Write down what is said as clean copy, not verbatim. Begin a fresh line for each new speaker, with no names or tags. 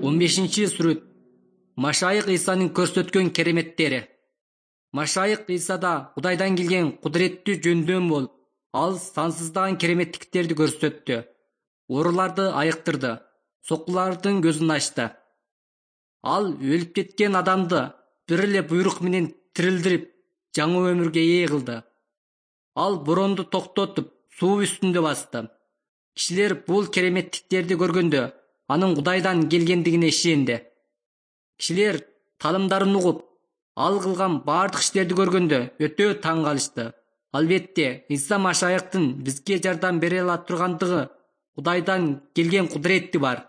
15-сүрөт. Машайык Исанын көрсөткөн кереметтери. Машайык Исада Кудайдан келген кудуреттүү жөндөм болуп, ал сансыздаган кереметтиктерди көрсөттү. Ооруларды айыктырды, соккулардын көзүн ачты. Ал өлүп кеткен адамды бир эле буйрук менен тирилдирип, жаңы өмүргө ээ кылды. Ал боронду токтотуп, суу үстүндө басты. Кишилер бул кереметтиктерди көргөндө, анын Кудайдан келгендигине ишенди. Кишилер таанымдарын угуп, ал кылган бардык иштерди көргөндө өтө таң калышты. Албетте, Иса Машайыктын бизге жардам бере ала тургандыгы Кудайдан келген кудурети бар.